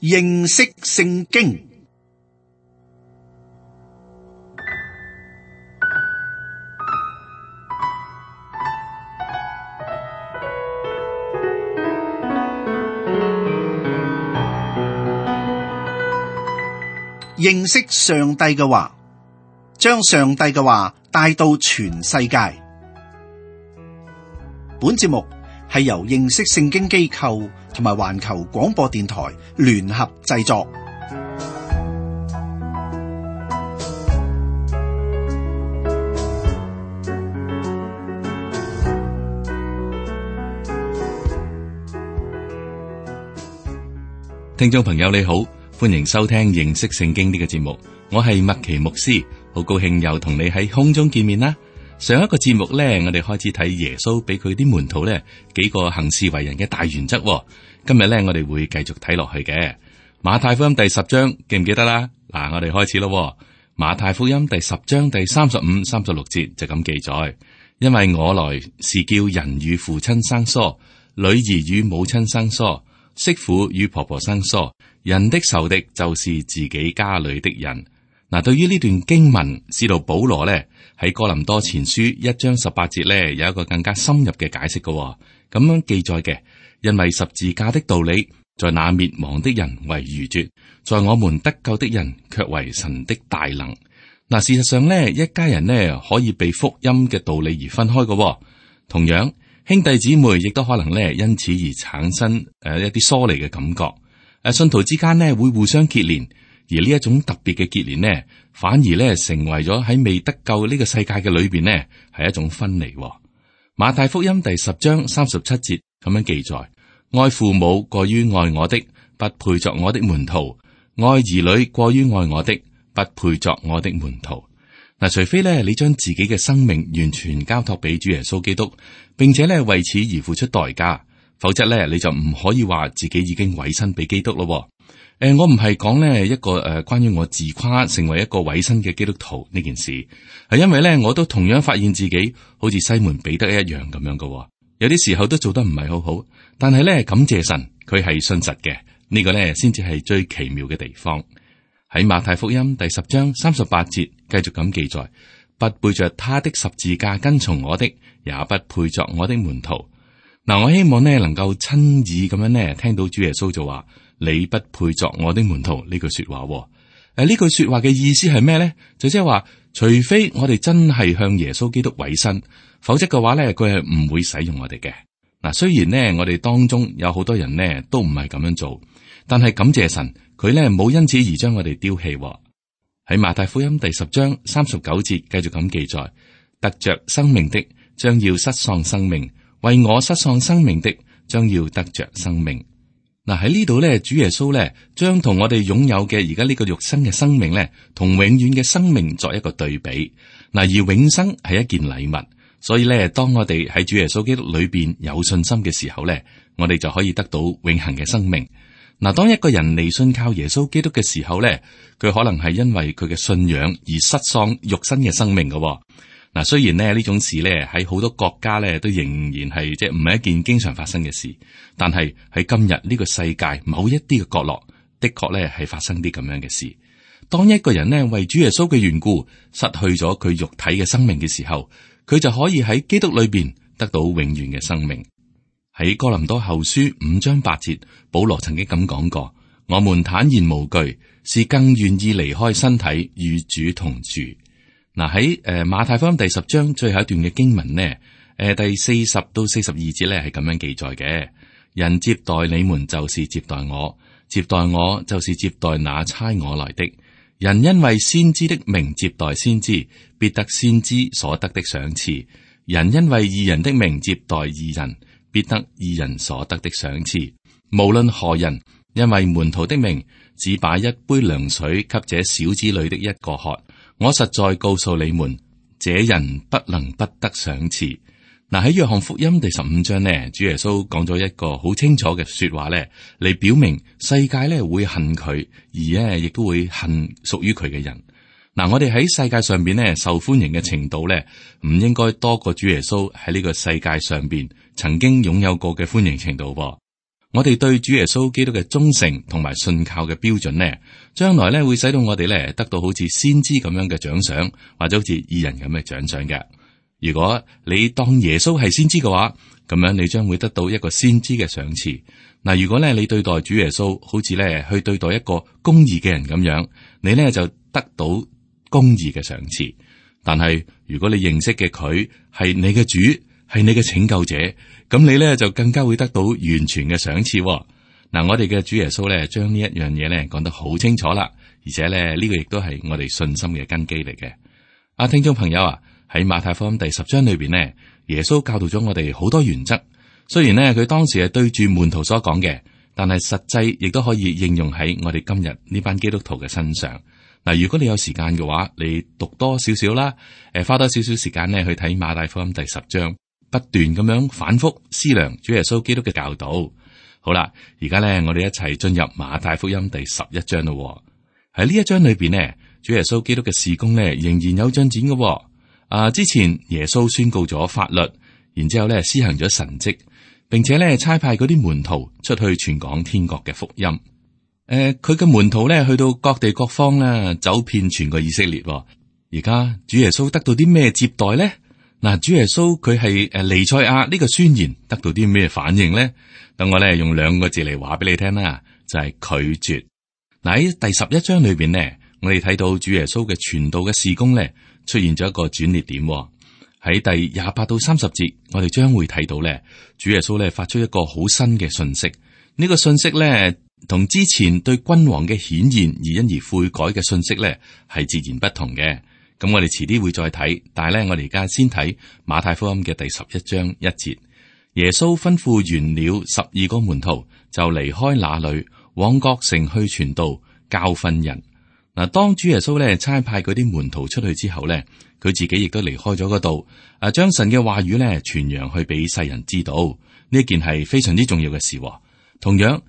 認識聖經。認識上帝嘅話，將上帝嘅話帶到全世界。本節目係由認識聖經機構同埋環球廣播電台聯合製作。聽眾朋友你好，歡迎收聽認識聖經呢個節目，我係麥奇牧師，好高興又同你喺空中見面啦。上一個節目呢，我哋開始睇耶穌俾佢啲門徒呢幾個行事為人嘅大原則。今日呢，我哋會繼續睇落去嘅。馬太福音第10章記唔記得啦？嗱，我哋開始咯。馬太福音第10章第35、36節就咁記載：因為我來是叫人與父親生疏，女兒與母親生疏，媳婦與婆婆生疏，人的仇敵就是自己家裏的人。嗱，對於呢段經文，使徒保羅呢喺哥林多前書1章18節呢有一個更加深入嘅解釋嘅，咁樣記載嘅。因為十字架的道理，在那滅亡的人為愚拙，在我們得救的人卻為神的大能。嗱，事實上呢，一家人呢可以被福音嘅道理而分開嘅，同樣兄弟姊妹亦都可能呢因此而產生一啲疏離嘅感覺。信徒之間呢會互相結連，而呢一種特別嘅結連呢，反而呢成為咗喺未得救呢個世界嘅裏邊呢係一種分離。馬太福音第10章37節咁樣記載：愛父母過於愛我的，不配作我的門徒；愛兒女過於愛我的，不配作我的門徒。嗱，除非呢你將自己嘅生命完全交託俾主耶穌基督，並且呢為此而付出代價，否則呢你就唔可以話自己已經委身俾基督咯。我唔係講呢一個關於我自誇成為一個委身嘅基督徒呢件事，係因為呢我都同樣發現自己好似西門彼得一樣咁樣嘅，有啲時候都做得唔係好好，但係呢感謝神，佢係信實嘅，呢個呢先至係最奇妙嘅地方。喺馬太福音第10章38節繼續咁記載：不背着他的十字架跟從我的，也不配作我的門徒。嗱，我希望呢能夠親耳咁樣呢聽到主耶穌就話：你不配作我的門徒呢句說話。呢句說話嘅意思係咩呢？就即係話，除非我哋真係向耶穌基督委身，否則嘅話呢，佢係唔會使用我哋嘅。嗱，雖然呢我哋當中有好多人呢都唔係咁樣做，但係感謝神，佢呢冇因此而將我哋丟棄。喺馬太福音第10章39節繼續咁記載：得着生命的將要失喪生命，為我失喪生命的將要得着生命。嗱，喺呢度咧，主耶穌咧將同我哋擁有嘅而家呢個肉身嘅生命咧，同永遠嘅生命作一個對比。嗱，而永生係一件禮物，所以咧，當我哋喺主耶穌基督裏邊有信心嘅時候咧，我哋就可以得到永恆嘅生命。嗱，當一個人離信靠耶穌基督嘅時候咧，佢可能係因為佢嘅信仰而失喪肉身嘅生命嘅。嗱，雖然呢種事咧喺好多國家咧都仍然係即係唔係一件經常發生嘅事，但係喺今日呢個世界某一啲嘅角落，的確咧係發生啲咁樣嘅事。當一個人呢為主耶穌嘅緣故失去咗佢肉體嘅生命嘅時候，佢就可以喺基督裏邊得到永遠嘅生命。喺哥林多後書5章8節，保羅曾經咁講過：我們坦然無懼，是更願意離開身體與主同住。嗱，喺馬太福音第10章最後一段嘅經文呢，第40到42節咧係咁樣記載嘅：人接待你們就是接待我，接待我就是接待那差我來的。人因為先知的名接待先知，必得先知所得的賞賜；人因為義人的名接待義人，必得義人所得的賞賜。無論何人，因為門徒的名，只把一杯涼水給這小子裏的一個喝，我實在告訴你們，這人不能不得賞賜。嗱，喺約翰福音第15章呢，主耶穌講咗一個好清楚嘅說話咧，嚟表明世界咧會恨佢，而咧亦都會恨屬於佢嘅人。嗱，我哋喺世界上邊咧受歡迎嘅程度咧，唔應該多過主耶穌喺呢個世界上邊曾經擁有過嘅歡迎程度噃。我哋對主耶穌基督嘅忠誠同埋信靠嘅標準呢，將來呢會使到我哋呢得到好似先知咁樣嘅獎賞，或者好似義人咁嘅獎賞嘅。如果你當耶穌係先知嘅話，咁樣你將會得到一個先知嘅賞賜。嗱，如果呢你對待主耶穌好似呢去對待一個公義嘅人咁樣，你呢就得到公義嘅賞賜。但係如果你認識嘅佢係你嘅主，係你嘅拯救者，咁你咧就更加會得到完全嘅賞賜。嗱，我哋嘅主耶穌咧，將呢一樣嘢咧講得好清楚啦，而且咧呢個亦都係我哋信心嘅根基嚟嘅。聽眾朋友啊，喺馬太福音第10章裏邊呢，耶穌教導咗我哋好多原則。雖然呢，佢當時係對住門徒所講嘅，但係實際亦都可以應用喺我哋今日呢班基督徒嘅身上。嗱，如果你有時間嘅話，你讀多少少啦，花多少少時間呢去睇馬太福音第10章。不斷咁樣反覆思量主耶穌基督嘅教導。好啦，而家咧我哋一齊進入馬太福音第11章咯。喺呢一章裏邊呢，主耶穌基督嘅事工呢仍然有進展嘅。之前耶穌宣告咗法律，然之後咧施行咗神蹟，並且咧差派嗰啲門徒出去傳講天國嘅福音。佢嘅門徒咧去到各地各方啦，走遍全個以色列。而家主耶穌得到啲咩接待咧？嗱，主耶穌佢係彌賽亞呢個宣言得到啲咩反應咧？等我咧用2個字嚟話俾你聽啦，就係拒絕。嗱，喺第11章裏邊呢，我哋睇到主耶穌嘅傳道嘅事工咧出現咗一個轉捩點。喺第28到30節，我哋將會睇到咧，主耶穌咧發出一個好新嘅信息。呢個信息咧同之前對君王嘅顯現而因而悔改嘅信息咧係截然不同嘅。咁我哋遲啲會再睇，但係咧，我哋而家先睇馬太福音嘅第11章1節。耶穌吩咐完了12個門徒，就離開那裏，往各城去傳道，教訓人。嗱，當主耶穌咧差派嗰啲門徒出去之後咧，佢自己亦都離開咗嗰度，將神嘅話語咧傳揚去俾世人知道。呢件係非常之重要嘅事。同樣，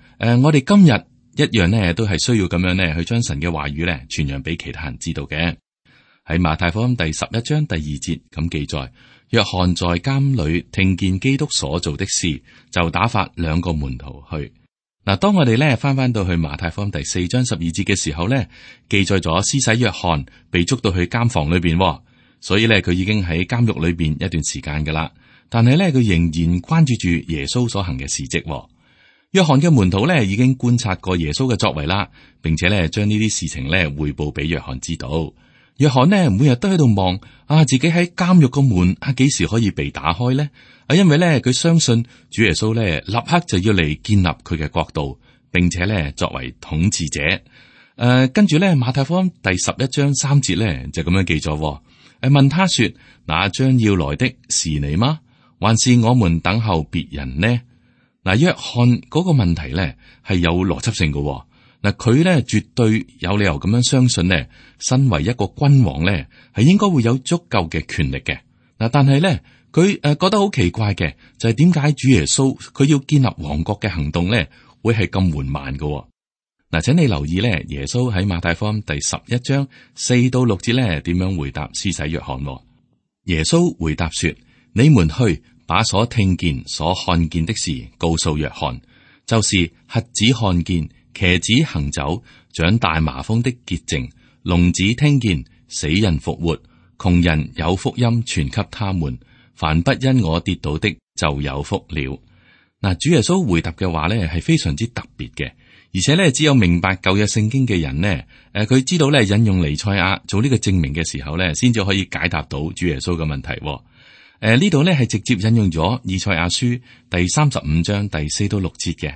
我哋今日一樣呢，都係需要咁樣呢去將神嘅話語咧傳揚俾其他人知道嘅。喺馬太福音第11章第2節咁記載，約翰在監裏聽見基督所做的事，就打發2個門徒去。嗱，當我哋咧翻到去馬太福音第4章12節嘅時候咧，記載咗施洗約翰被捉到去監房裏邊，所以咧佢已經喺監獄裏邊一段時間噶啦。但係咧佢仍然關注住耶穌所行嘅事蹟。約翰嘅門徒咧已經觀察過耶穌嘅作為啦，並且咧將呢啲事情咧匯報俾約翰知道。約翰呢每日都喺度望自己喺監獄個門幾時可以被打開呢？因為咧佢相信主耶穌咧立刻就要嚟建立佢嘅國度，並且咧作為統治者。跟住咧馬太福音第11章3節咧就咁樣記咗。問他說：那將要來的是你嗎？還是我們等候別人呢？嗱，約翰嗰個問題咧係有邏輯性嘅。嗱，佢咧絕對有理由咁樣相信呢，身為一個君王咧，係應該會有足夠嘅權力嘅。嗱，但係咧，佢覺得好奇怪嘅，就係點解主耶穌佢要建立王國嘅行動咧，會係咁緩慢嘅？嗱，請你留意咧，耶穌喺馬太福音第11章4到6節咧，點樣回答施洗約翰？耶穌回答說：你們去把所聽見、所看見的事告訴約翰，就是瞎子看見、瘸子行走、長大麻風的潔淨、聾子聽見、死人復活、窮人有福音傳給他們。凡不因我跌倒的，就有福了。嗱，主耶穌回答嘅話咧係非常之特別嘅，而且咧只有明白舊約聖經嘅人呢，佢知道咧引用彌賽亞做呢個證明嘅時候咧，先至可以解答到主耶穌嘅問題。呢度咧係直接引用咗以賽亞書第35章第4到6節嘅。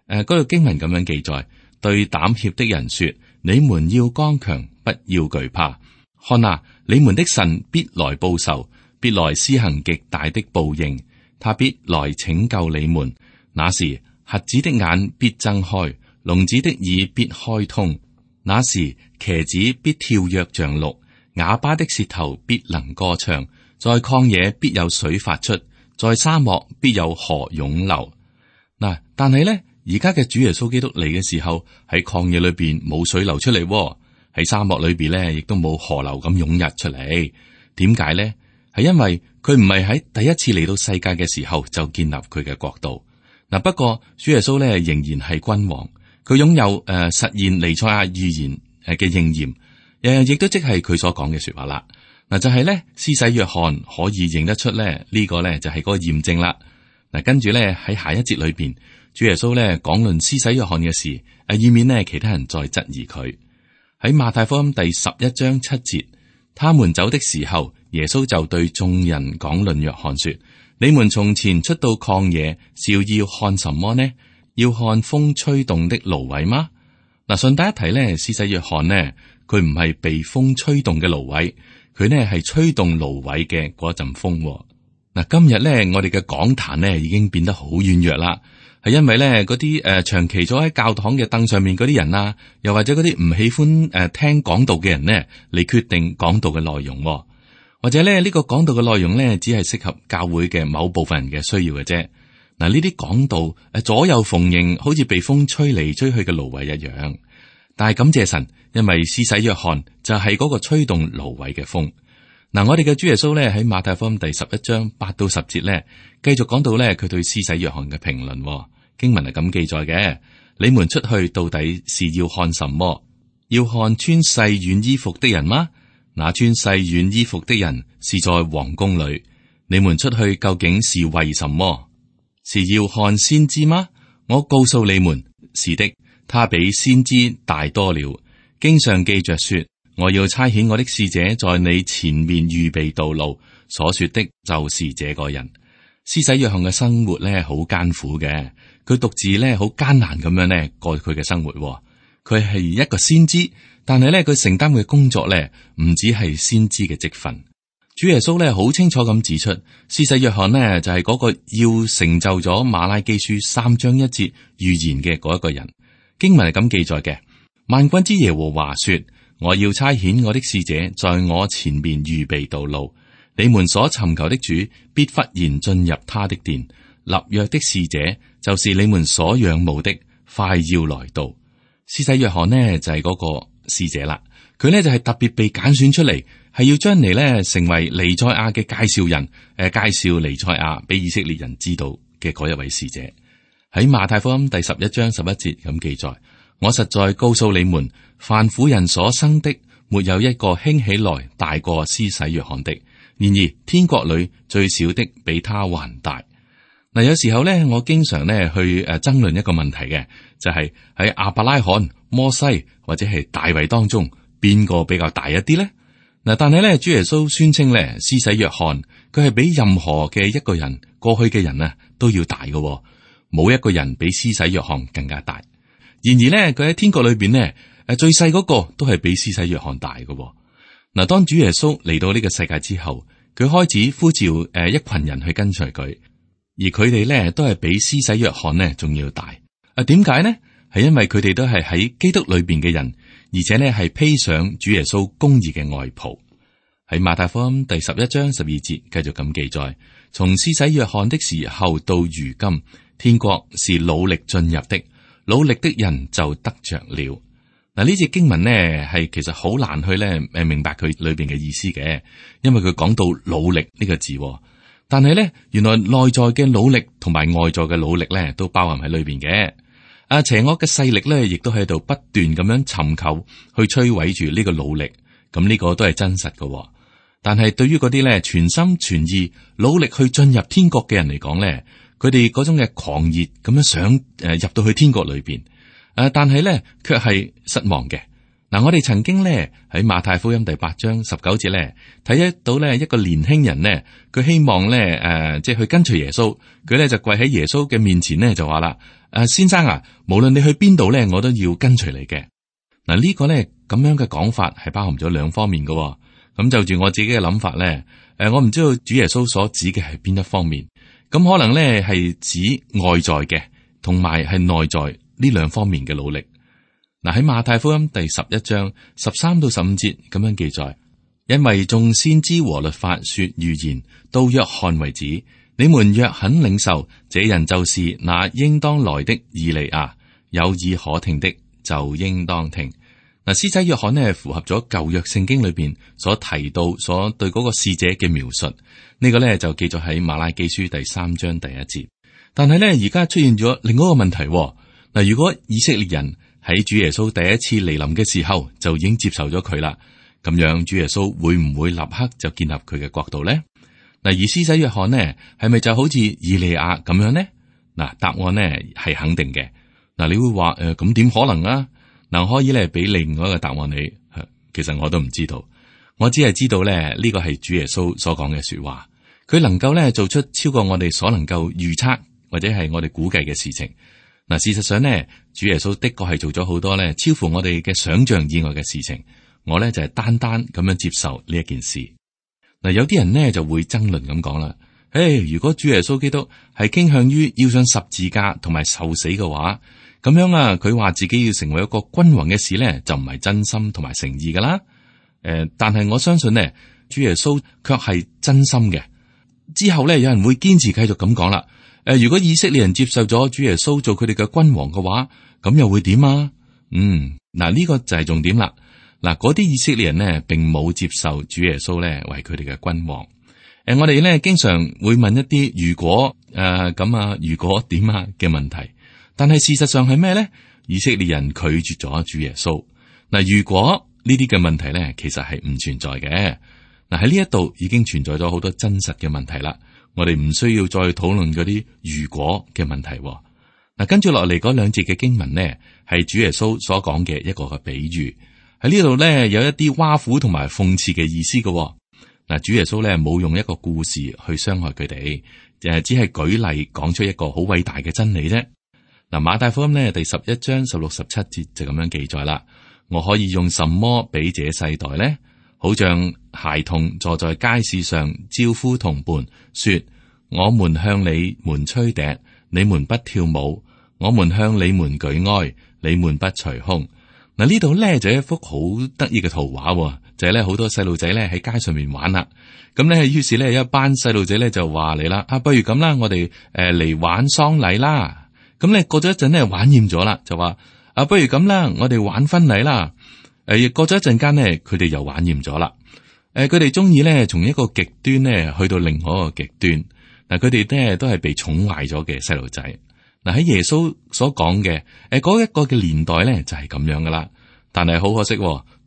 嗰個經文咁樣記載：對膽怯的人說，你們要剛強，不要懼怕。看啊，你們的神必來報仇，必來施行極大的報應，他必來拯救你們。那時，瞎子的眼必睜開，聾子的耳必開通。那時，瘸子必跳躍像鹿，啞巴的舌頭必能歌唱。在曠野必有水發出，在沙漠必有河湧流。嗱，但係咧，而家嘅主耶穌基督嚟嘅時候，喺曠野裏邊冇水流出嚟，喺沙漠裏邊咧，亦都冇河流咁湧入出嚟。點解咧？係因為佢唔係喺第一次嚟到世界嘅時候就建立佢嘅國度。嗱，不過主耶穌咧仍然係君王，佢擁有實現彌賽亞預言嘅應驗，亦都即係佢所講嘅說話啦。嗱，就係咧施洗約翰可以認得出咧呢個咧就係嗰個驗證啦。嗱，跟住咧喺下一節裏邊，主耶穌咧講論施洗約翰嘅事，以免呢其他人再質疑佢。喺馬太福音第11章7節，他們走的時候，耶穌就對眾人講論約翰說：你們從前出到曠野，是要看什麼呢？要看風吹動的蘆葦嗎？嗱，順帶一提咧，施洗約翰呢，佢唔係被風吹動嘅蘆葦，佢呢係吹動蘆葦嘅嗰陣風。嗱，今日咧我哋嘅講壇呢已經變得好軟弱啦，係因為咧嗰啲長期坐喺教堂嘅凳上面嗰啲人啊，又或者嗰啲唔喜歡聽講道嘅人呢，嚟決定講道嘅內容，或者咧呢個講道嘅內容呢，只係適合教會嘅某部分人嘅需要嘅啫。嗱，呢啲講道左右逢迎，好似被風吹嚟吹去嘅蘆葦一樣。但係感謝神，因為施洗約翰就係嗰個吹動蘆葦嘅風。嗱，我哋嘅主耶穌咧喺馬太福音第11章8到10節咧，繼續講到咧佢對施洗約翰嘅評論。經文係咁記載嘅：你們出去到底是要看什麼？要看穿細軟衣服的人嗎？那穿細軟衣服的人是在王宮裏。你們出去究竟是為什麼？是要看先知嗎？我告訴你們，是的，他比先知大多了。經上記着說：我要差遣我的使者在你前面預備道路。所說的就是這個人。施洗約翰嘅生活咧好艱苦嘅，佢獨自咧好艱難咁樣咧過佢嘅生活。佢係一個先知，但係咧佢承擔嘅工作咧唔只係先知嘅職分。主耶穌咧好清楚咁指出，施洗約翰呢就係嗰個要成就咗馬拉基書3章1節預言嘅嗰一個人。經文係咁記載嘅：萬軍之耶和華說，我要差遣我的使者在我前面預備道路。你們所尋求的主必忽然進入他的殿，立約的使者就是你們所仰慕的，快要來到。施洗約翰呢就係嗰個使者啦，佢呢就係特別被揀選出嚟，係要將嚟呢成為彌賽亞嘅介紹人，介紹彌賽亞俾以色列人知道嘅嗰一位使者。喺馬太福音第11章11節咁記載：我實在告訴你們，凡婦人所生的，沒有一個興起來大過施洗約翰的。然而天國裏最小的比他還大。嗱，有時候咧，我經常咧去爭論一個問題嘅，就係喺亞伯拉罕、摩西或者係大衛當中，邊個比較大一啲咧？嗱，但係咧，主耶穌宣稱咧，施洗約翰佢係比任何嘅一個人過去嘅人啊都要大嘅，冇一個人比施洗約翰更加大。然而咧，佢喺天國裏邊咧，最細嗰個都係比施洗約翰大嘅。嗱，當主耶穌嚟到呢個世界之後，佢開始呼召一群人去跟隨佢，而佢哋咧都係比施洗約翰呢仲要大。點解呢？係因為佢哋都係喺基督裏邊嘅人，而且呢係披上主耶穌公義嘅外袍。喺馬太福音第11章12節繼續咁記載：從施洗約翰的時候到如今，天國是努力進入的，努力的人就得着了。嗱，呢節經文呢係其實好難去咧明白佢裏邊嘅意思嘅，因為佢講到努力呢個字，但係咧原來內在嘅努力同埋外在嘅努力咧都包含喺裏邊嘅。邪惡嘅勢力咧亦都喺度不斷咁樣尋求去摧毀住呢個努力，咁呢個都係真實嘅。但係對於嗰啲咧全心全意努力去進入天國嘅人嚟講咧，佢哋嗰種嘅狂熱咁樣想入到去天國裏邊。但係咧，卻係失望嘅。嗱，我哋曾經咧喺馬太福音第8章19節咧睇得到咧一個年輕人咧，佢希望咧即係去跟隨耶穌，佢咧就跪喺耶穌嘅面前咧就話啦：先生啊，無論你去邊度咧，我都要跟隨你嘅。嗱，呢個咧咁樣嘅講法係包含咗兩方面嘅。咁就住我自己嘅諗法咧，我唔知道主耶穌所指嘅係邊一方面。咁可能咧係指外在嘅，同埋係內在。呢兩方面嘅努力。嗱，喺馬太福音第11章13到15節咁樣記載：因為眾先知和律法說預言到約翰為止，你們若肯領受，這人就是那應當來的以利亞。有耳可聽的就應當聽。嗱，施洗約翰呢符合咗舊約聖經裏邊所提到所對嗰個使者嘅描述。呢個呢就記載喺馬拉基書第3章第1節。但係咧而家出現咗另外一個問題。嗱，如果以色列人喺主耶穌第一次嚟臨嘅時候就已經接受咗佢啦，咁樣主耶穌會唔會立刻就建立佢嘅國度咧？嗱，而施洗約翰呢，係咪就好似以利亞咁樣呢？嗱，答案呢係肯定嘅。嗱，你會話咁點可能啊？嗱，我可以咧俾另外一個答案你，其實我都唔知道，我只係知道咧呢個係主耶穌所講嘅說話，佢能夠咧做出超過我哋所能夠預測或者係我哋估計嘅事情。嗱，事實上呢，主耶穌的確係做咗好多咧超乎我哋嘅想象以外嘅事情。我咧就係單單咁樣接受呢一件事。嗱，有啲人呢就會爭論咁講啦，如果主耶穌基督係傾向於要上十字架同埋受死嘅話，咁樣啊，佢話自己要成為一個君王嘅事咧，就唔係真心同埋誠意噶啦。但係我相信呢，主耶穌卻係真心嘅。之後咧，有人會堅持繼續咁講啦。如果以色列人接受咗主耶穌做佢哋嘅君王嘅話，咁又會點啊？嗱，呢個就係重點啦。嗱，嗰啲以色列人呢，並冇接受主耶穌咧為佢哋嘅君王。我哋咧經常會問一啲如果咁啊，如果點啊嘅問題，但係事實上係咩咧？以色列人拒絕咗主耶穌。嗱，如果呢啲嘅問題咧，其實係唔存在嘅。嗱，喺呢一度已經存在咗好多真實嘅問題啦。我哋唔需要再討論嗰啲如果嘅問題。嗱，跟住落嚟嗰兩節嘅經文呢，係主耶穌所講嘅一個嘅比喻。喺呢度咧有一啲挖苦同埋諷刺嘅意思嘅。嗱，主耶穌咧冇用一個故事去傷害佢哋，只係舉例講出一個好偉大嘅真理啫。嗱，馬太福音咧第11章16、17節就咁樣記載啦。我可以用什麼比這世代呢？好像孩童坐在街市上招呼同伴，說：我們向你們吹笛，你們不跳舞；我們向你們舉哀，你們不捶胸。嗱，呢度咧就一幅好得意嘅圖畫，就係咧好多細路仔咧喺街上面玩啦。咁咧，於是咧有一班細路仔咧就話嚟啦，不如咁啦，我哋嚟玩喪禮啦。咁咧過咗一陣咧玩厭咗啦，就話不如咁啦，我哋玩婚禮啦。過咗一陣間咧，佢哋又玩厭咗啦。佢哋中意咧從一個極端咧去到另外一個極端。嗱，佢哋咧都係被寵壞咗嘅細路仔。嗱，喺耶穌所講嘅嗰一個嘅年代咧就係咁樣噶啦。但係好可惜，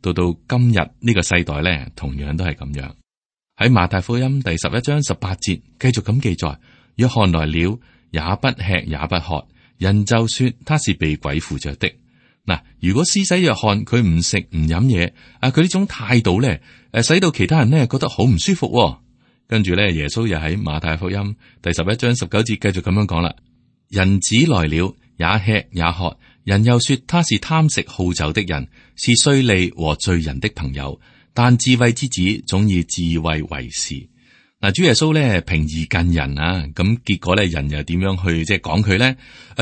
到今日呢個世代咧同樣都係咁樣。喺馬太福音第11章18節繼續咁記載：約翰來了，也不吃也不喝，人就說他是被鬼附着的。嗱，如果施洗約翰佢唔食唔飲嘢，佢呢種態度咧，使到其他人咧覺得好唔舒服。跟住咧，耶穌又喺馬太福音第11章19節繼續咁樣講啦：人子來了，也吃也喝，人又說他是貪食好酒的人，是稅吏和罪人的朋友。但智慧之子總以智慧為事。嗱，主耶穌咧平易近人啊，咁結果咧人又點樣去即係講佢咧？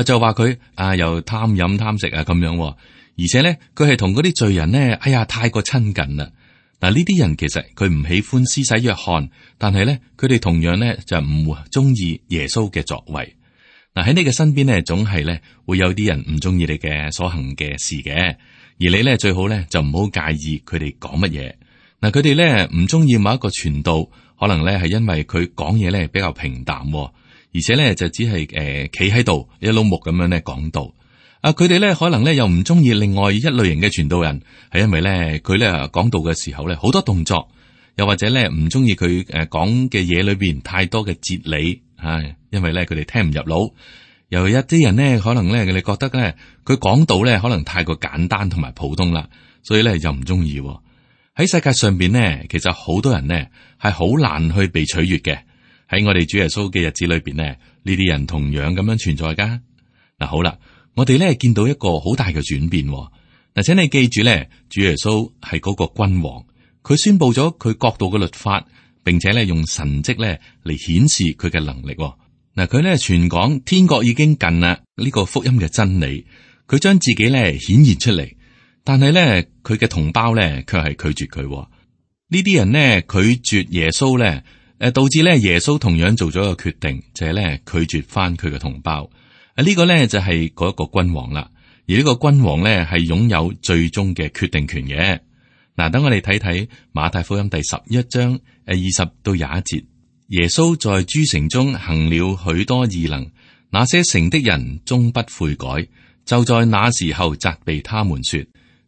就話佢又貪飲貪食啊咁樣，而且咧佢係同嗰啲罪人咧，太過親近啦。嗱，呢啲人其實佢唔喜歡施洗約翰，但係咧佢哋同樣咧就唔中意耶穌嘅作為。嗱，喺你嘅身邊咧，總係咧會有啲人唔中意你嘅所行嘅事嘅，而你咧最好咧就唔好介意佢哋講乜嘢。嗱，佢哋咧唔中意某一個傳道，可能咧係因為佢講嘢咧比較平淡，而且咧就只係企喺度一碌木咁樣咧講道。佢哋咧可能咧又唔中意另外一類型嘅傳道人，係因為咧佢咧講道嘅時候咧好多動作，又或者咧唔中意佢講嘅嘢裏邊太多嘅哲理，因為咧佢哋聽唔入腦。又有一啲人咧可能咧你覺得咧佢講道咧可能太過簡單同埋普通啦，所以咧又唔中意。喺世界上邊呢，其實好多人呢係好難去被取悅嘅。喺我哋主耶穌嘅日子裏邊呢，呢啲人同樣咁樣存在噶。嗱，好啦，我哋咧見到一個好大嘅轉變。嗱，請你記住咧，主耶穌係嗰個君王，佢宣布咗佢國度嘅律法，並且咧用神蹟咧嚟顯示佢嘅能力。嗱，佢咧傳講天國已經近啦，呢個福音嘅真理，佢將自己咧顯現出嚟。但係咧，佢嘅同胞咧，卻係拒絕佢。呢啲人呢，拒絕耶穌咧，導致咧耶穌同樣做咗一個決定，就係咧拒絕翻佢嘅同胞。呢個咧就係嗰一個君王啦。而呢個君王咧係擁有最終嘅決定權嘅。嗱，等我哋睇睇馬太福音第11章20到21節，耶穌在諸城中行了許多異能，那些城的人終不悔改，就在那時候責備他們說：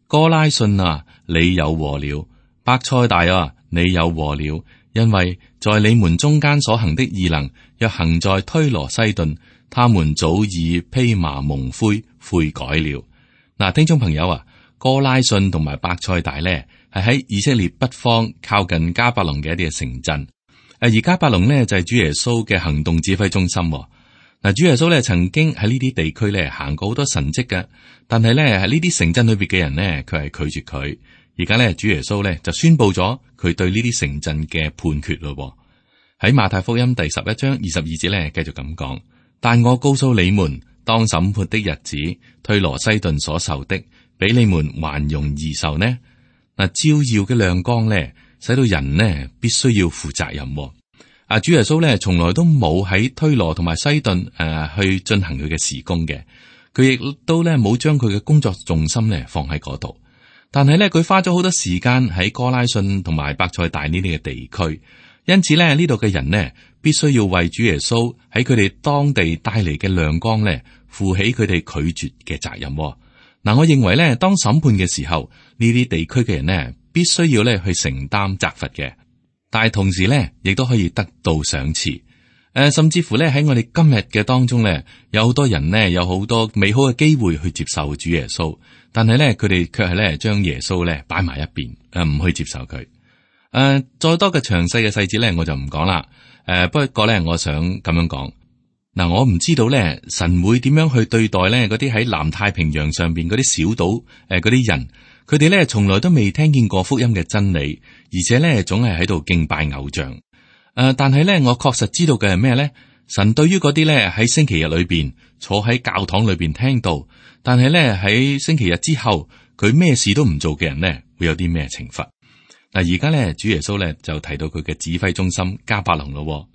哥拉汛啊，你有禍了；伯賽大啊，你有禍了，因為在你們中間所行的異能，若行在推羅西頓，他們早已披麻蒙灰悔改了。嗱，聽眾朋友啊，哥拉汛同埋伯賽大咧，係喺以色列北方靠近迦百農嘅一啲嘅城鎮。而迦百農咧就係主耶穌嘅行動指揮中心。嗱，主耶穌咧曾經喺呢啲地區咧行過好多神蹟嘅，但係咧喺呢啲城鎮裏邊嘅人呢，佢係拒絕佢。而家咧主耶穌咧就宣布咗佢對呢啲城鎮嘅判決咯。喺馬太福音第11章22節咧繼續咁講：但我告訴你們，當審判的日子，推羅西頓所受的，比你們還容易受呢。嗱，照耀嘅亮光咧，使到人呢必須要負責任。主耶穌咧從來都冇喺推羅同埋西頓去進行佢嘅事工嘅，佢亦都咧冇將佢嘅工作重心咧放喺嗰度。但係咧佢花咗好多時間喺哥拉汛同埋伯賽大呢啲嘅地區，因此咧呢度嘅人呢必須要為主耶穌喺佢哋當地帶嚟嘅亮光咧負起佢哋拒絕嘅責任。嗱，我認為咧當審判嘅時候，呢啲地區嘅人呢必須要咧去承擔責罰嘅。但係同時咧，亦都可以得到賞賜。甚至乎咧喺我哋今日嘅當中咧，有好多人呢，有好多美好嘅機會去接受主耶穌，但係咧佢哋卻係咧將耶穌咧擺埋一邊，唔去接受佢。再多嘅詳細嘅細節咧，我就唔講啦。不過咧，我想咁樣講。嗱，我唔知道咧，神會點樣去對待咧嗰啲喺南太平洋上邊嗰啲小島嗰啲人。佢哋咧從來都未聽見過福音嘅真理，而且咧總係喺度敬拜偶像。但係咧我確實知道嘅係咩咧？神對於嗰啲咧喺星期日裏邊坐喺教堂裏邊聽道，但係咧喺星期日之後佢咩事都唔做嘅人咧，會有啲咩懲罰？嗱，而家咧主耶穌咧就提到佢嘅指揮中心迦百農咯。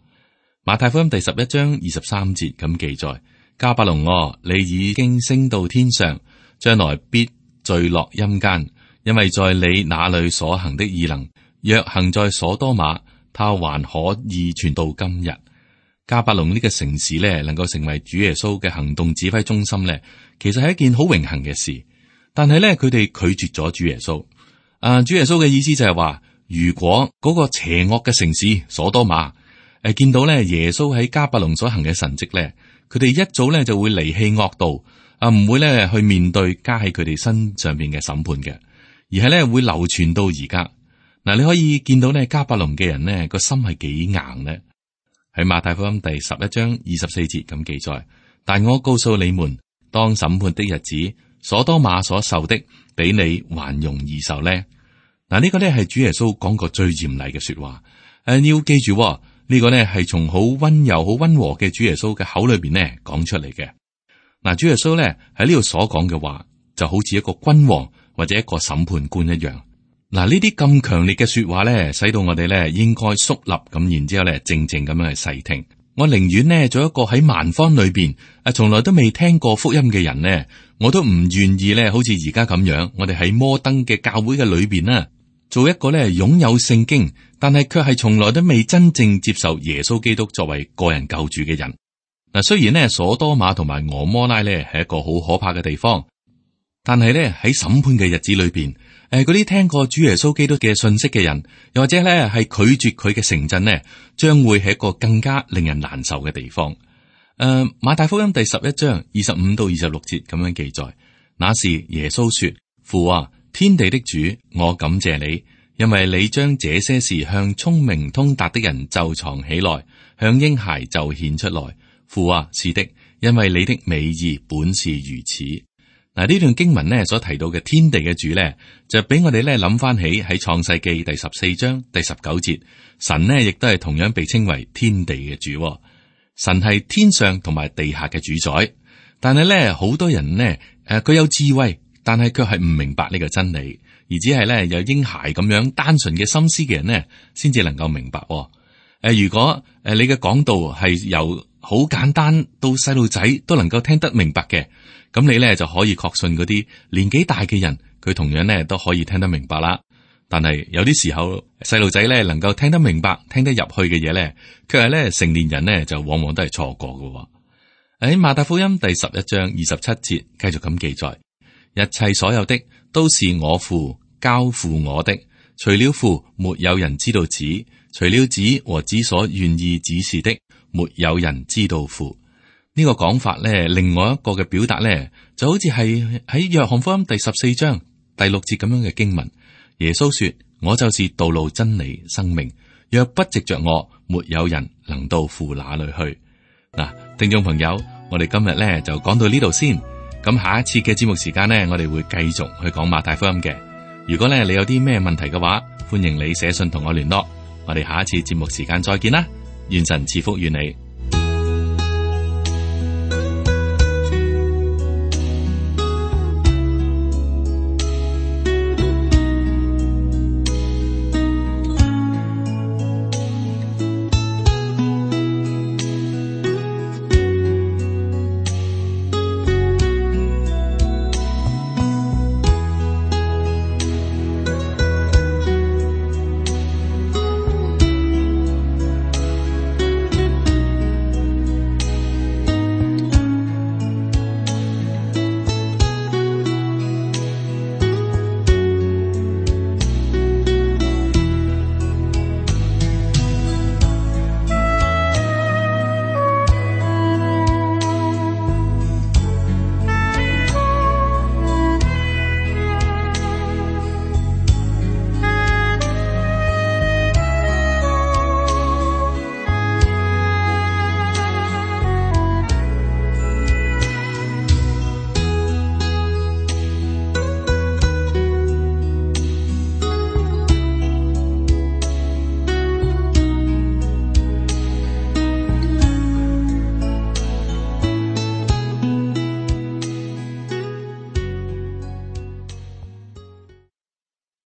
馬太福音第11章23節咁記載：迦百農，你已經升到天上，將來必墜落陰間，因為在你那裏所行的異能，若行在所多瑪，他還可以傳到今日。迦百農呢個城市咧，能夠成為主耶穌嘅行動指揮中心咧，其實係一件好榮幸嘅事。但係咧，佢哋拒絕咗主耶穌。主耶穌嘅意思就係話，如果嗰個邪惡嘅城市所多瑪見到咧耶穌喺迦百農所行嘅神蹟咧，佢哋一早咧就會離棄惡道。唔會咧去面對加喺佢哋身上邊嘅審判嘅，而係咧會流傳到而家。嗱，你可以見到咧迦百農嘅人呢個心係幾硬呢？喺馬太福音第11章24節咁記載：但我告訴你們，當審判的日子，所多瑪所受的，比你還容易受呢。嗱，呢個咧係主耶穌講過最嚴厲嘅說話。你要記住呢個咧係從好溫柔、好溫和嘅主耶穌嘅口裏邊呢講出嚟嘅。嗱，主耶穌咧喺呢度所講嘅話，就好似一個君王或者一個審判官一樣。嗱，呢啲咁強烈嘅說話咧，使到我哋咧應該肅立咁，然之後咧靜靜咁樣去細聽。我寧願呢做一個喺蠻荒裏邊從來都未聽過福音嘅人呢，我都唔願意咧，好似而家咁樣，我哋喺摩登嘅教會嘅裏邊啦，做一個咧擁有聖經，但係卻係從來都未真正接受耶穌基督作為個人救主嘅人。嗱，雖然呢，所多瑪同埋俄摩拉咧係一個好可怕嘅地方，但係咧喺審判嘅日子裏邊，嗰啲聽過主耶穌基督嘅信息嘅人，又或者咧係拒絕佢嘅城鎮呢，將會係一個更加令人難受嘅地方。馬太福音第11章25到26節咁樣記載：那時耶穌說：父啊，天地的主，我感謝你，因為你將這些事向聰明通達的人就藏起來，向嬰孩就顯出來。父啊，是的，因為你的美意本是如此。嗱，呢段經文呢所提到嘅天地嘅主呢，就俾我哋咧諗翻起喺創世記第14章第19節，神呢亦都係同樣被稱為天地嘅主。神係天上同埋地下嘅主宰，但係咧好多人呢，佢有智慧，但係卻係唔明白呢個真理，而只係咧有嬰孩咁樣單純嘅心思嘅人呢，先至能夠明白。如果你嘅講道係由好簡單到細路仔都能夠聽得明白嘅，咁你咧就可以確信嗰啲年紀大嘅人，佢同樣咧都可以聽得明白啦。但係有啲時候細路仔咧能夠聽得明白、聽得入去嘅嘢咧，卻係咧成年人咧就往往都係錯過嘅。喺馬太福音第11章27節繼續咁記載：一切所有的都是我父交付我的，除了父，沒有人知道子；除了子和子所願意指示的，沒有人知道父。呢個講法咧，另外一個嘅表達咧，就好似係喺約翰福音第14章第6節咁樣嘅經文。耶穌說：我就是道路、真理、生命，若不藉着我，沒有人能到父那裏去。嗱，聽眾朋友，我哋今日咧就講到呢度先。咁下一次嘅節目時間呢，我哋會繼續去講馬太福音嘅。如果咧你有啲咩問題嘅話，歡迎你寫信同我聯絡。我哋下一次節目時間再見啦，願神賜福於你。